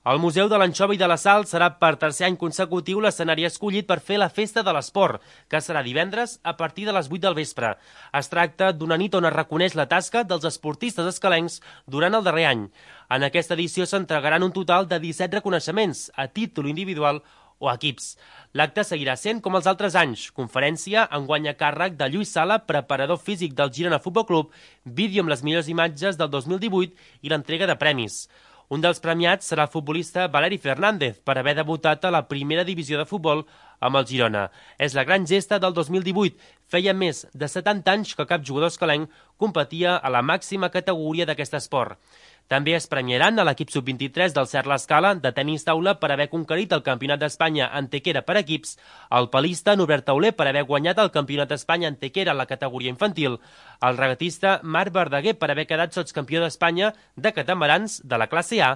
El Museu de l'Anxova i de la Sal serà per tercer any consecutiu l'escenari escollit per fer la Festa de l'Esport, que serà divendres a partir de les 8 del vespre. Es tracta d'una nit on es reconeix la tasca dels esportistes escalencs durant el darrer any. En aquesta edició s'entregaran un total de 17 reconeixements, a títol individual o equips. L'acte seguirà sent com els altres anys, conferència enguany a càrrec de Lluís Sala, preparador físic del Girona Futbol Club, vídeo amb les millors imatges del 2018 i l'entrega de premis. Un dels premiats serà el futbolista Valeri Fernández per haver debutat a la primera divisió de futbol amb el Girona. És la gran gesta del 2018. Feia més de 70 anys que cap jugador escalenc competia a la màxima categoria d'aquest esport. També es premiaran a l'equip sub-23 del Cert l'Escala de tenis taula per haver conquerit el Campionat d'Espanya en tequera per equips, el palista Norbert Tauler per haver guanyat el Campionat d'Espanya en tequera en la categoria infantil, el regatista Marc Verdaguer per haver quedat sotscampió d'Espanya de catamarans de la classe A,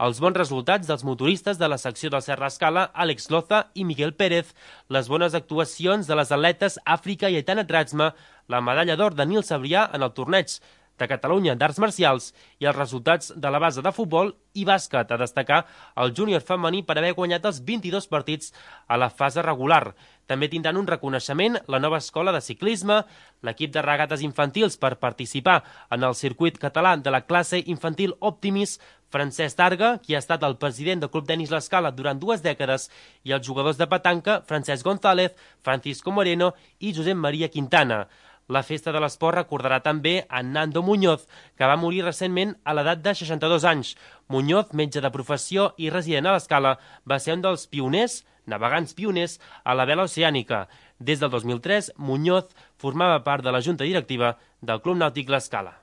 els bons resultats dels motoristes de la secció del Cert l'Escala, Àlex Loza i Miguel Pérez, les bones actuacions de les atletes Àfrica i Aitana Tratzma, la medalla d'or de Nil Sabrià en el torneig de Catalunya d'Arts Marcials i els resultats de la base de futbol i bàsquet, a destacar el júnior femení per haver guanyat els 22 partits a la fase regular. També tindran un reconeixement la nova escola de ciclisme, l'equip de regates infantils per participar en el circuit català de la classe infantil Optimis, Francesc Targa, qui ha estat el president del Club Tenis L'Escala durant 2 dècades, i els jugadors de petanca Francesc González, Francisco Moreno i Josep Maria Quintana. La Festa de l'Esport recordarà també a Nando Muñoz, que va morir recentment a l'edat de 62 anys. Muñoz, metge de professió i resident a l'Escala, va ser un dels pioners, navegants pioners, a la vela oceànica. Des del 2003, Muñoz formava part de la junta directiva del Club Nàutic L'Escala.